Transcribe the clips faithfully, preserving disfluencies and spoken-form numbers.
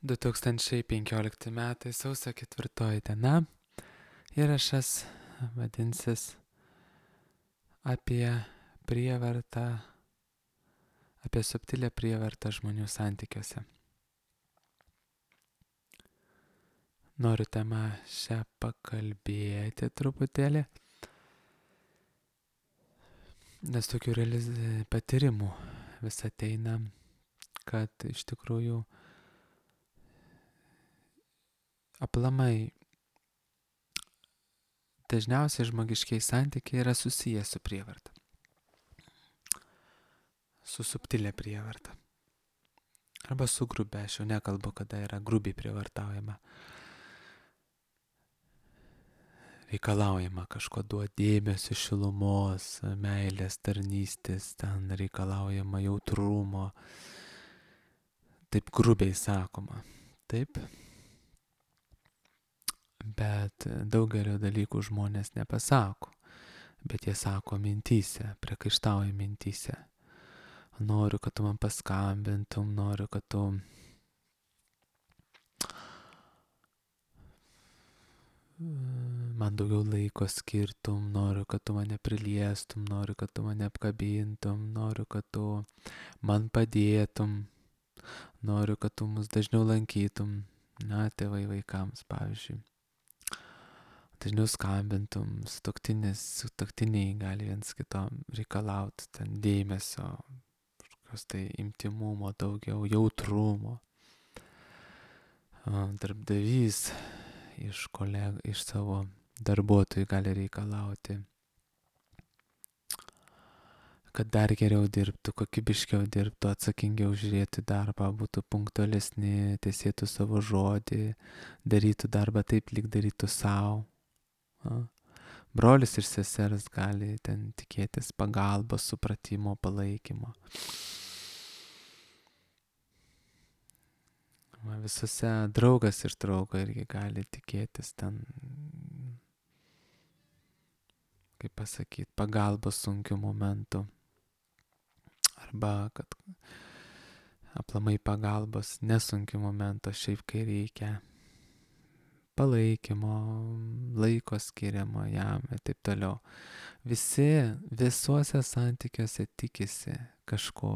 du tūkstančiai penkiolikti metai sausio ketvirtoji diena. Įrašas vadinsis apie prievartą, apie subtilę prievartą žmonių santykiuose. Noriu temą šią pakalbėti truputėlį, nes tokių realiz... patyrimų vis ateina, kad iš tikrųjų aplamai dažniausiai žmogiškiai santykiai yra susiję su prievarta, su subtilė prievarta. Arba su grubia, aš jau nekalbu, kada yra grubiai prievartaujama. Reikalaujama kažko duoti dėmesio, šilumos, meilės, tarnystės, ten reikalaujama jautrumo. Taip grubiai sakoma. Taip. Bet daugelio dalykų žmonės nepasako. Bet jie sako mintyse, priekaištauja mintyse. Noriu, kad tu man paskambintum, noriu, kad tu man daugiau laiko skirtum, noriu, kad tu mane priliestum, noriu, kad tu mane apkabintum, noriu, kad tu man padėtum, noriu, kad tu mus dažniau lankytum, na, tėvai vaikams, pavyzdžiui. Dažniau skambintum, sutuoktinis, sutuoktiniai gali viens kito reikalauti, ten dėmesio, kažkokios tai intymumo, daugiau jautrumo. Darbdavys iš kolegų, iš savo darbuotojų gali reikalauti, kad dar geriau dirbtų, kokybiškiau dirbtų, atsakingiau žiūrėtų darbą, būtų punktualesni, tesėtų savo žodį, darytų darbą taip, lyg darytų savo. Brolis ir sesers gali ten tikėtis pagalbos, supratimo, palaikymo. Visose draugas iš draugo irgi gali tikėtis ten, kaip pasakyti, pagalbos sunkių momentų. Arba kad aplamai pagalbos nesunkių momentų, šiaip kai reikia palaikymo, laiko skiriamo jam ir taip toliau. Visi visuose santykiuose tikisi kažko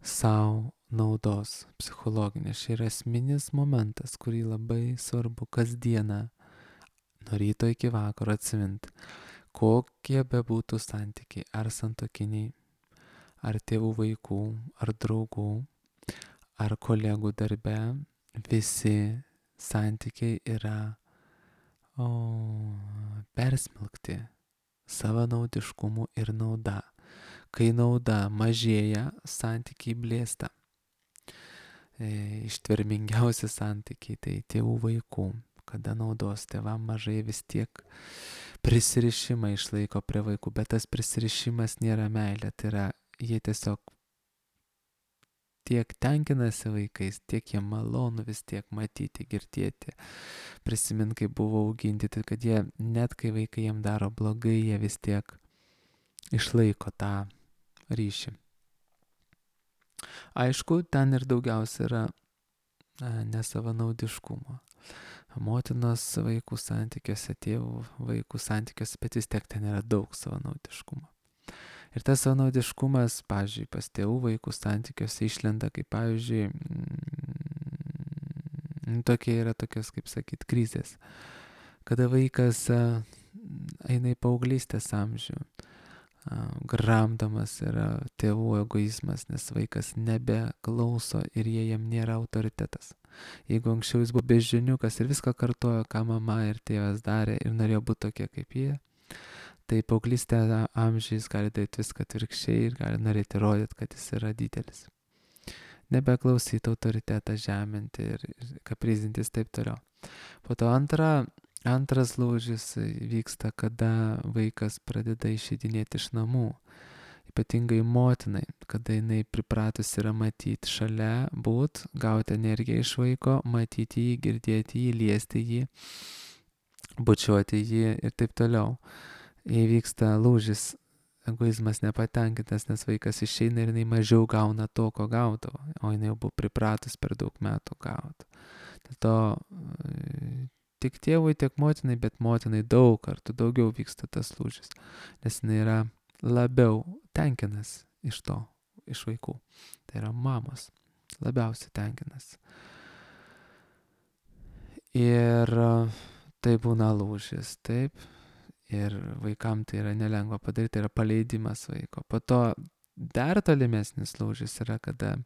savo naudos psichologinės. Šia yra esminis momentas, kurį labai svarbu kasdieną nuo ryto iki vakaro atsiminti. Kokie bebūtų santykiai, ar santuokiniai, ar tėvų vaikų, ar draugų, ar kolegų darbe, visi santykiai yra o, persmelkti savanaudiškumu ir nauda. Kai nauda mažėja, santykiai blėsta. E, ištvermingiausi santykiai tai tėvų vaikų. Kada naudos tėvam mažai, vis tiek prisirišimą išlaiko prie vaikų, bet tas prisirišimas nėra meilė, tai yra jie tiesiog tiek tenkinasi vaikais, tiek jie malonu vis tiek matyti, girdėti, prisimint, kai buvo auginti, tai kad jie, net kai vaikai jiem daro blogai, jie vis tiek išlaiko tą ryšį. Aišku, ten ir daugiausia yra nesavanaudiškumo. Motinos vaikų santykiuose, tėvų vaikų santykiuose, bet vis tiek ten yra daug savanaudiškumo. Ir tas savanaudiškumas, pavyzdžiui, pas tėvų vaikų santykiuose išlenda, kaip pavyzdžiui, mm, tokie yra tokios, kaip sakyt, krizės. Kada vaikas a, eina į paauglystės amžių, a, gramdamas yra tėvų egoizmas, nes vaikas nebeklauso ir jie jam nėra autoritetas. Jeigu anksčiau jis buvo beždžioniukas ir viską kartojo, ką mama ir tėvas darė ir norėjo būti tokie kaip jie, tai paauglystė amžiais gali daryti viską atvirkščiai ir gali norėti rodyti, kad jis yra didelis. Nebeklausyti autoritetą, žeminti ir, ir kaprizintis taip toliau. Po to antra, antras lūžis vyksta, kada vaikas pradeda išeidinėti iš namų. Ypatingai motinai, kada jinai pripratus yra matyti šalia, būt, gauti energiją iš vaiko, matyti jį, girdėti jį, liesti jį, bučiuoti jį ir taip toliau. Įvyksta lūžis egoizmas nepatenkintas, nes vaikas išeina ir jinai mažiau gauna to, ko gaudavo, o jinai jau buvo pripratus per daug metų gauti. Dėl to tik tėvui, tiek motinai, bet motinai daug kartų daugiau vyksta tas lūžis, nes jinai yra labiau tenkinas iš to, iš vaikų. Tai yra mamos labiausiai tenkinas. Ir tai būna lūžis, taip. Ir vaikam tai yra nelengva padaryti, tai yra paleidimas vaiko. Po to dar tolimesnis lūžis yra, kada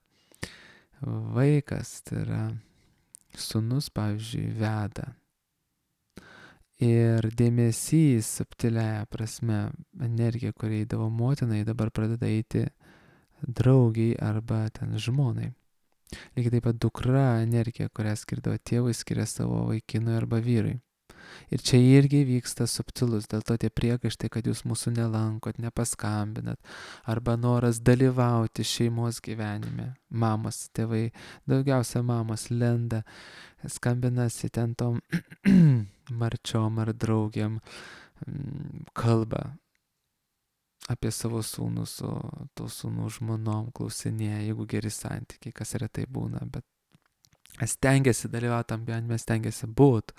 vaikas, tai yra sūnus, pavyzdžiui, veda. Ir dėmesys subtiliaja prasme, energija, kuri eidavo motinai, dabar pradeda eiti draugiai arba ten žmonai. Lygiai taip pat dukra energija, kurią skirdavo tėvui, skiria savo vaikinui arba vyrui. Ir čia irgi vyksta subtilus, dėl to tie priekaištai, kad jūs mūsų nelankot, nepaskambinat, arba noras dalyvauti šeimos gyvenime. Mamos, tėvai, daugiausia mamos lenda, skambinasi ten tom marčiom ar draugiam, kalba apie savo sūnus, o tų sūnų žmonom klausinėja, jeigu geri santykiai, kas retai būna, bet stengiasi dalyvauti tam gyvenime, stengiasi būti.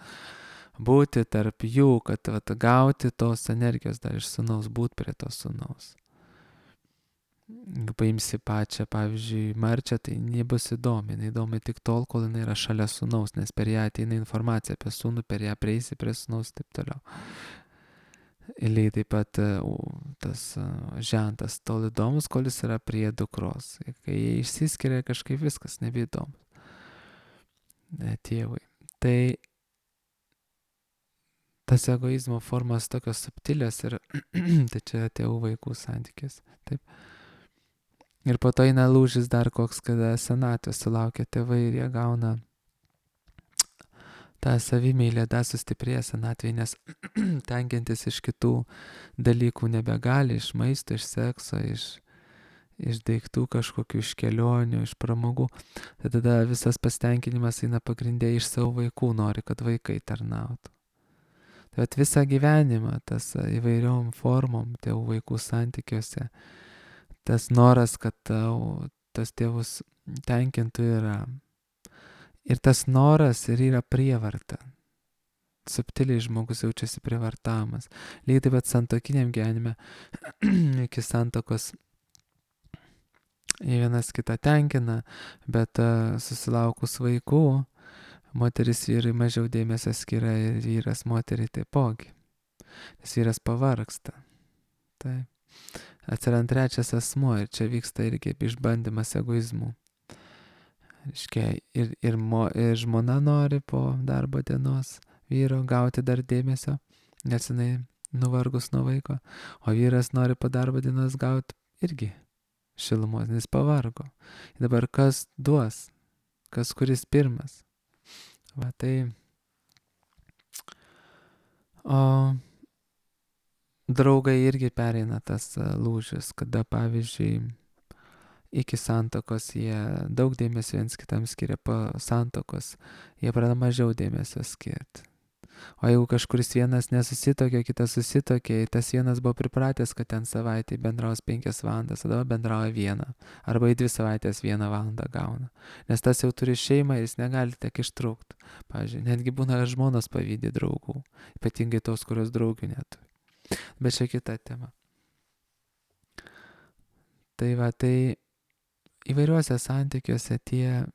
Būti tarp jų, kad vat, gauti tos energijos dar iš sūnaus, būti prie tos sūnaus. Jeigu paimsi pačią, pavyzdžiui, marčią, tai nebus įdomi. Jinai įdomi tik tol, kol jinai yra šalia sūnaus, nes per ją ateina informacija apie sūnų, per ją prieisi prie sūnaus ir taip toliau. Ir lygiai taip pat tas žentas tol įdomus, kol jis yra prie dukros. Kai jie išsiskiria, kažkaip viskas nebeįdomu tėvui. Tai tas egoizmo formas tokios subtilės ir tai čia tėvų vaikų santykis. Taip. Ir po to eina lūžis dar koks, kada senatvės sulaukia tėvai ir jie gauna tą savimeilę, dar sustiprėja senatvėje, nes tenkintis iš kitų dalykų nebegali, iš maisto, iš sekso, iš, iš daiktų kažkokių, iš kelionių, iš pramogų. Tai tada visas pasitenkinimas eina pagrindė iš savo vaikų, nori, kad vaikai tarnautų. Bet visą gyvenimą, tas įvairiom formom tėvų vaikų santykiuose, tas noras, kad tau, tas tėvus tenkintų yra. Ir tas noras ir yra prievarta. Subtiliai žmogus jaučiasi prievartavimas. Lygiai taip pat santuokiniam gyvenime, iki santuokos jie vienas kitą tenkina, bet uh, susilaukus vaikų, moteris vyrai mažiau dėmesio skiria ir vyras moteriai taipogi. Nes vyras pavargsta. Tai atsirand trečias asmuo ir čia vyksta irgi išbandymas egoizmų. Reiškia, ir, ir, mo, ir žmona nori po darbo dienos vyro gauti dar dėmesio, nes jinai nuvargus nuo vaiko, o vyras nori po darbo dienos gauti irgi šilumos, nes pavargo. Ir dabar kas duos, kas kuris pirmas. Va tai, o draugai irgi pereina tas lūžis, kada pavyzdžiui iki santuokos jie daug dėmesio viens kitam skiria, po santuokos jie pradeda mažiau dėmesio skirti. O jeigu kažkuris vienas nesusitokė, kitas susitokė, tas vienas buvo pripratęs, kad ten savaitėje bendraus penkias valandas, tada bendrauja vieną, arba į dvi savaitės vieną valandą gauna. Nes tas jau turi šeimą ir jis negali tiek ištrūkti. Pavyzdžiui, netgi būna žmonos pavydi draugų, ypatingai tos, kurios draugių neturi. Bet čia kita tema. Tai va, tai įvairiuose santykiuose tie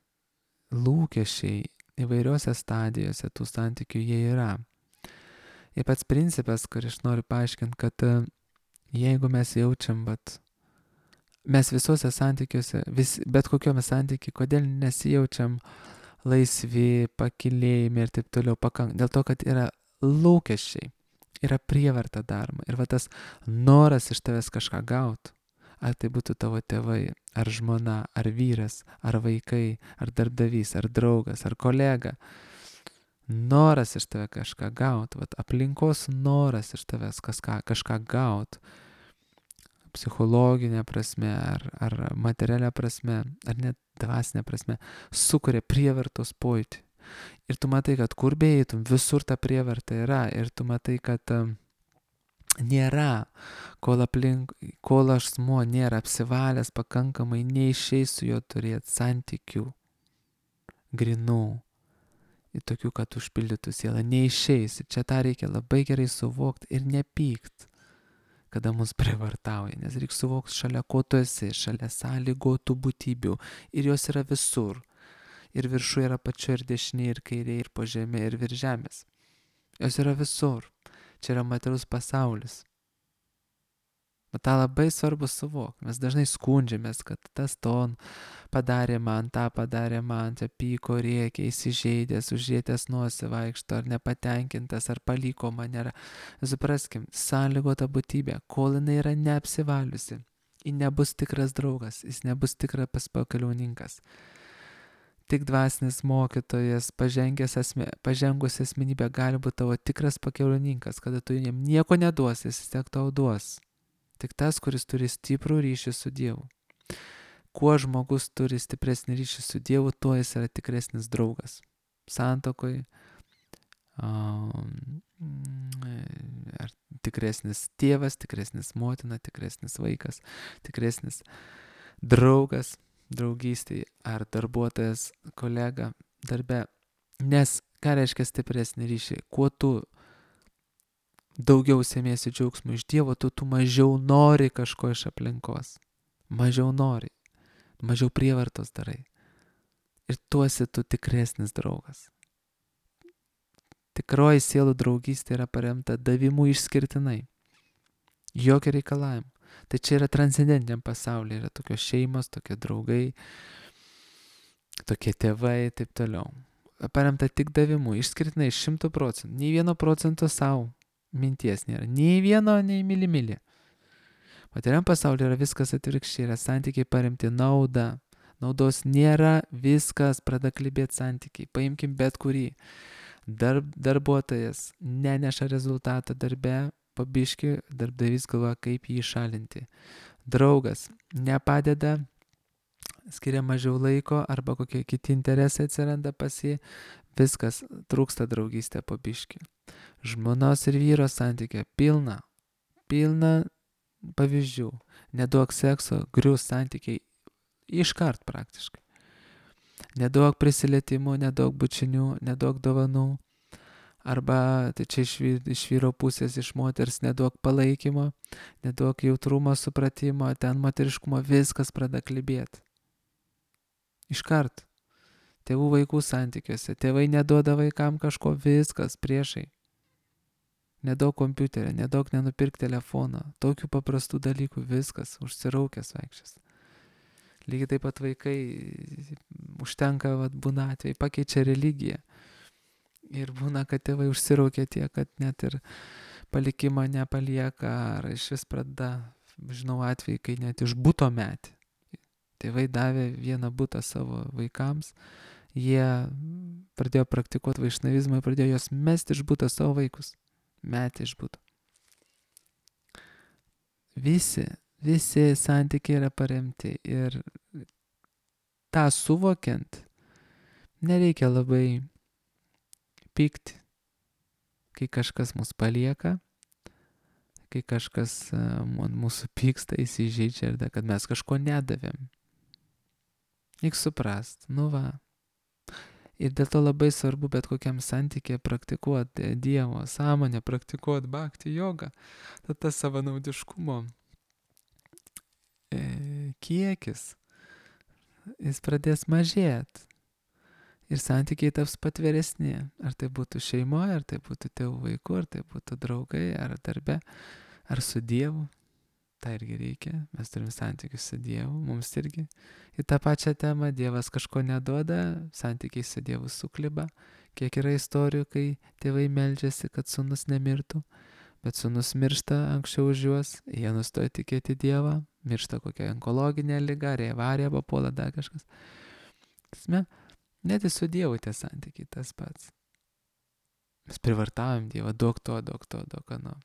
lūkesčiai, įvairiuose stadijose tų santykių jie yra. Ir pats principas, kurį aš noriu paaiškinti, kad jeigu mes jaučiam, bet mes visuose santykiuose, vis, bet kokiome santykiai, kodėl nesijaučiam laisvi, pakilėjimi ir taip toliau pakank, dėl to, kad yra lūkesčiai, yra prievarta daroma ir va tas noras iš tavęs kažką gauti. Ar tai būtų tavo tėvai, ar žmona, ar vyras, ar vaikai, ar darbdavys, ar draugas, ar kolega. Noras iš tave kažką gauti, vat, aplinkos noras iš tavęs kažką, kažką gauti. Psichologinė prasme, ar, ar materialia prasme, ar net dvasinė prasme, sukuria prievartos pojūtį. Ir tu matai, kad kur beeitum, visur ta prievarta yra. Ir tu matai, kad nėra, kol aplink, kol asmuo nėra apsivalęs pakankamai, neišeis su juo turėti santykių grinų, į tokių, kad užpildytų sielą, neišeis. Ir čia tą reikia labai gerai suvokti ir nepykt, kada mus privartauja, nes reikia suvokti, šalia ko tu esi, šalia sąlygotų būtybių, ir jos yra visur. Ir viršų yra pačio ir dešinė, ir kairė, ir po žemė, ir virš žemės. Jos yra visur. Čia yra materialus pasaulis. Bet tą labai svarbu suvokti. Mes dažnai skundžiamės, kad tas ton padarė man, tą padarė man, čia pyko, rėkė, įsižeidęs, užžietęs nosį vaikšto, ar nepatenkintas, ar paliko mane. Supraskim, sąlygota būtybė, kol jinai yra neapsivaliusi, ji nebus tikras draugas, jis nebus tikras pakeliauninkas. Tik dvasinis mokytojas, pažengęs asme, pažengusi asmenybė gali būti tavo tikras pakeliauninkas, kada tu jam nieko neduosi, jis tiek tau duos. Tik tas, kuris turi stiprų ryšį su Dievu. Kuo žmogus turi stipresnį ryšį su Dievu, tuo jis yra tikresnis draugas. Santokoj, um, ar tikresnis tėvas, tikresnis motina, tikresnis vaikas, tikresnis draugas, draugystėje, ar darbuotojas, kolega darbe. Nes ką reiškia stipresnį ryšį? Kuo tu daugiau semiesi džiaugsmų iš Dievo, tu, tu mažiau nori kažko iš aplinkos. Mažiau nori. Mažiau prievartos darai. Ir tu esi tu tikresnis draugas. Tikroji sielų draugystė yra paremta davimu išskirtinai. Jokio reikalavimo. Tai čia yra transcendentiniam pasaulyje. Yra tokios šeimos, tokie draugai, tokie tėvai, taip toliau. Paremta tik davimu, išskirtinai šimtų procentų. Nei vieno procento savo minties nėra. Nei vieno, nei mylimylė. Materialiam pasaulyje yra viskas atvirkščiai, yra santykiai paremti nauda. Naudos nėra, viskas pradeda klibėti santykiai. Paimkim bet kurį. Darb, darbuotojas neneša rezultatą darbe, pabiški, darbdavys galvoja, kaip jį šalinti. Draugas nepadeda, skiria mažiau laiko arba kokie kiti interesai atsiranda pas jį, viskas, trūksta draugystė pabiški. Žmonos ir vyro santykė pilna, pilna pavyzdžių. Neduok sekso, grius santykiai iškart praktiškai. Neduok prisilietimų, neduok bučinių, neduok dovanų. Arba, tai čia iš, iš vyro pusės, iš moters, neduok palaikymo, neduok jautrumo, supratimo, ten moteriškumo, viskas pradeda klibėti. Iškart. Tėvų vaikų santykiuose. Tėvai neduoda vaikam kažko, viskas priešai. Nedaug kompiuterio, nedaug nenupirk telefoną. Tokių paprastų dalykų, viskas, užsiraukęs vaikščias. Lygiai taip pat vaikai, užtenka, vat, būna atvejai, pakeičia religiją. Ir būna, kad tėvai užsiraukia tiek, kad net ir palikimą nepalieka, ar iš vis pradeda, žinau atvejai, kai net iš buto metė. Tėvai davė vieną butą savo vaikams, jie pradėjo praktikuoti vaišnavizmą ir pradėjo jos mesti iš buto savo vaikus. Metė iš buto. Visi, visi santykiai yra paremti ir tą suvokiant nereikia labai pykti, kai kažkas mus palieka, kai kažkas ant mūsų pyksta, įsižeidžia ir da, kad mes kažko nedavėm. Reik suprast, nu va. Ir dėl to labai svarbu bet kokiam santykė praktikuoti Dievo sąmonę, praktikuoti bhakti jogą. Tad tas savanaudiškumo e, kiekis, jis pradės mažėti. Ir santykiai taps patveresni. Ar tai būtų šeimoje, ar tai būtų tėvų vaikų, ar tai būtų draugai, ar darbe, ar su Dievu. Tai irgi reikia. Mes turim santykius su Dievu. Mums irgi į tą pačią temą Dievas kažko neduoda, santykiai su Dievu sukliba. Kiek yra istorijų, kai tėvai meldžiasi, kad sūnus nemirtų, bet sūnus miršta anksčiau už juos, jie nustoja tikėti Dievą, miršta kokia onkologinė liga, ar avarija papuola, dar kažkas. Tasme, net ir su Dievu tie santykiai tas pats. Mes privartavom Dievą, duok to, duok to, duok ano.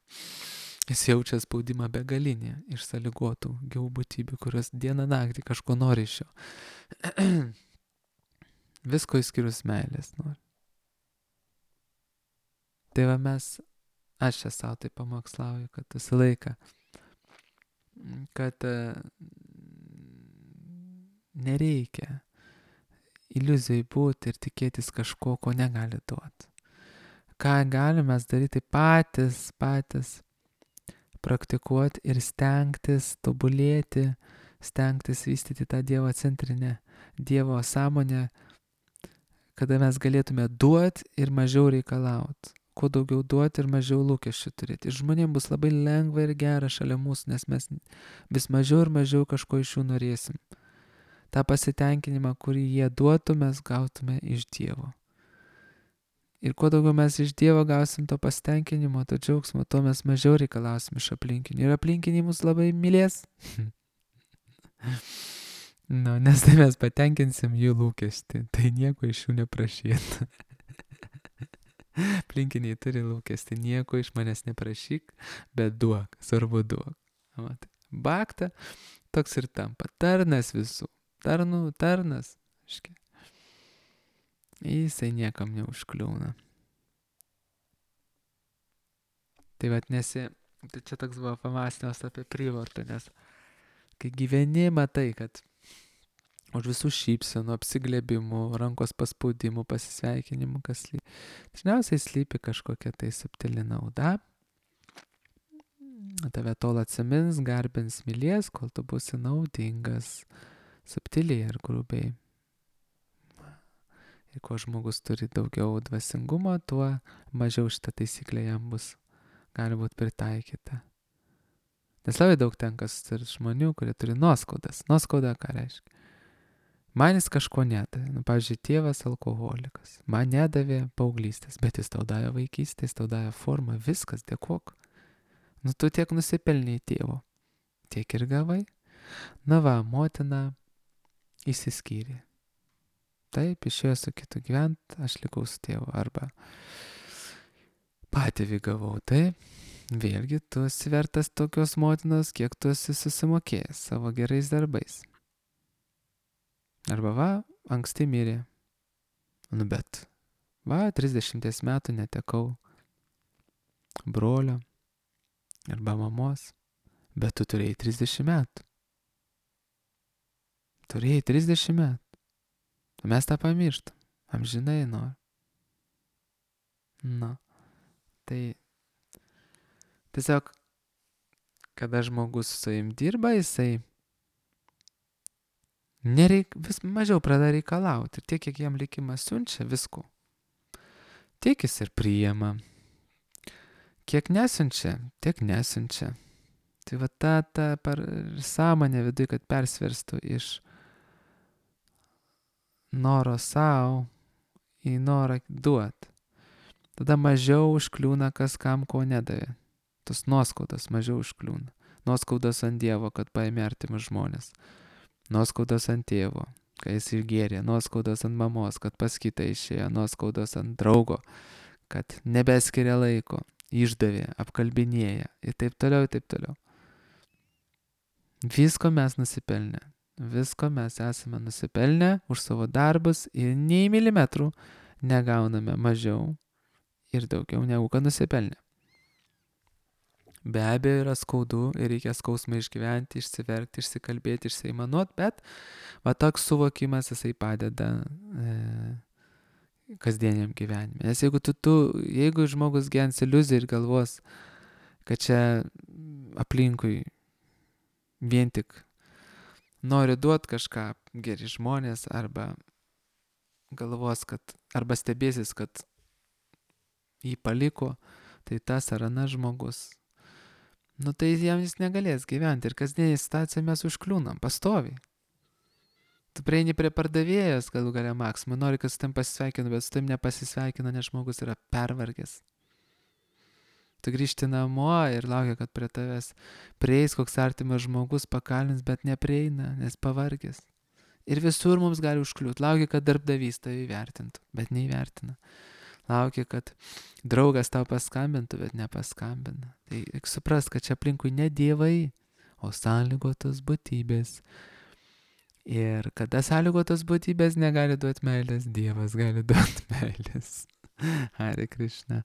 Jis jaučia spaudimą begalinį iš sąlygotų gyvų būtybių, kurios dieną naktį kažko nori iš jo. Visko išskyrus meilės nori. Tai va mes aš čia savo tai pamokslauju, kad visą laiką, kad nereikia iliuzijai būti ir tikėtis kažko, ko negali duoti. Ką galime daryti patys, patys praktikuoti ir stengtis tobulėti, stengtis vystyti tą Dievo centrinę, Dievo sąmonę, kada mes galėtume duoti ir mažiau reikalauti. Kuo daugiau duoti ir mažiau lūkesčių turėti. Ir žmonėms bus labai lengva ir gera šalia mūsų, nes mes vis mažiau ir mažiau kažko iš jų norėsim. Ta pasitenkinimą, kurį jie duotų, mes gautume iš Dievo. Ir kuo daugiau mes iš Dievo gausim to pasitenkinimo, to džiaugsmo, to mes mažiau reikalausim iš aplinkinių. Ir aplinkiniai mus labai mylės. Nu, nes tai mes patenkinsim jų lūkestį. Tai nieko iš jų neprašyt. Aplinkiniai turi lūkestį. Nieko iš manęs neprašyk, bet duok. Svarbu duok. Matai. Bakta toks ir tampa. Tarnas visų. Tarnų, tarnas. Škia. Jisai niekam neužkliūna. Tai vat nesi, tai čia toks buvo pamąstymas apie prievartą, nes kai gyveni, matai, kad už visų šypsenų, apsiglėbimų, rankos paspaudimų, pasisveikinimų, kas slypi. Dažniausiai slypi kažkokia tai subtili nauda. Tave tol atsimins, garbins, mylės, kol tu būsi naudingas, subtiliai ar grubiai. Ir kuo žmogus turi daugiau dvasingumo, tuo mažiau šitą taisyklę jam bus, gali būti pritaikyta. Nes labai daug tenka susitikti žmonių, kurie turi nuoskaudas. Nuoskauda ką reiškia? Man jis kažko nedavė. Nu, pavyzdžiui, tėvas alkoholikas. Man nedavė paauglystės, bet jis tau davė vaikystės, tau davė formą, viskas, dėkok. Nu, tu tiek nusipelniai tėvo, tiek ir gavai. Na va, motina išsiskyrė. Taip, išėjo su kitu gyvent, aš likau su tėvu. Arba patėvį gavau. Taip, vėlgi tu esi vertas tokios motinos, kiek tu esi susimokėjęs savo gerais darbais. Arba va, anksti mirė. Nu bet, va, trisdešimties metų netekau brolio arba mamos. Bet tu turėjai trisdešimt metų. Turėjai trisdešimt metų. Mes tą pamirštam. Amžinai nori. Na. Tai tiesiog, kada žmogus su savim dirba, jisai nereik, vis mažiau pradeda reikalauti. Ir tiek, kiek jam likimas siunčia visko, tiek jis ir priima. Kiek nesiunčia, tiek nesiunčia. Tai va ta, ta per sąmonė viduje, kad persverstų iš noro savo į norą duot. Tada mažiau užkliūna kas kam ko nedavė. Tos nuoskaudos mažiau užkliūna. Nuoskaudos ant Dievo, kad paėmė artimus žmonės. Nuoskaudos ant tėvo, kai jis išgėrė. Nuoskaudos ant mamos, kad pas kitą išėjo. Nuoskaudos ant draugo, kad nebeskiria laiko. Išdavė, apkalbinėja. Ir taip toliau, ir taip toliau. Visko mes nusipelnę. Visko mes esame nusipelnę už savo darbus ir nei milimetrų negauname mažiau ir daugiau negu kad nusipelnę. Be abejo yra skaudu ir reikia skausmą išgyventi, išsiverkti, išsikalbėti, išsiaimanuoti, bet va toks suvokimas jisai padeda e, kasdieniam gyvenime. Nes jeigu, tu, tu, jeigu žmogus gyvens iliuziją ir galvos, kad čia aplinkui vien tik nori duoti kažką geri žmonės, arba galvos, kad, arba stebėsis, kad jį paliko, tai tas ar anas žmogus, nu tai jam jis negalės gyventi. Ir kasdienį situaciją mes užkliūnam, pastoviai. Tu prieini prie pardavėjos, galų galia Maksimui, nori, kad su tam pasisveikinu, bet su tam nepasisveikina, nes žmogus yra pervargęs. Tu grįžti namo ir laukia, kad prie tavęs prieis koks artimas žmogus, pakalins, bet neprieina, nes pavargęs. Ir visur mums gali užkliūti. Laukia, kad darbdavys tave įvertintų, bet neįvertina. Laukia, kad draugas tau paskambintų, bet nepaskambina. Tai reikia suprast, kad čia aplinkui ne dievai, o sąlygotos būtybės. Ir kada sąlygotos būtybės negali duoti meilės, Dievas gali duoti meilės. Hare Krishna.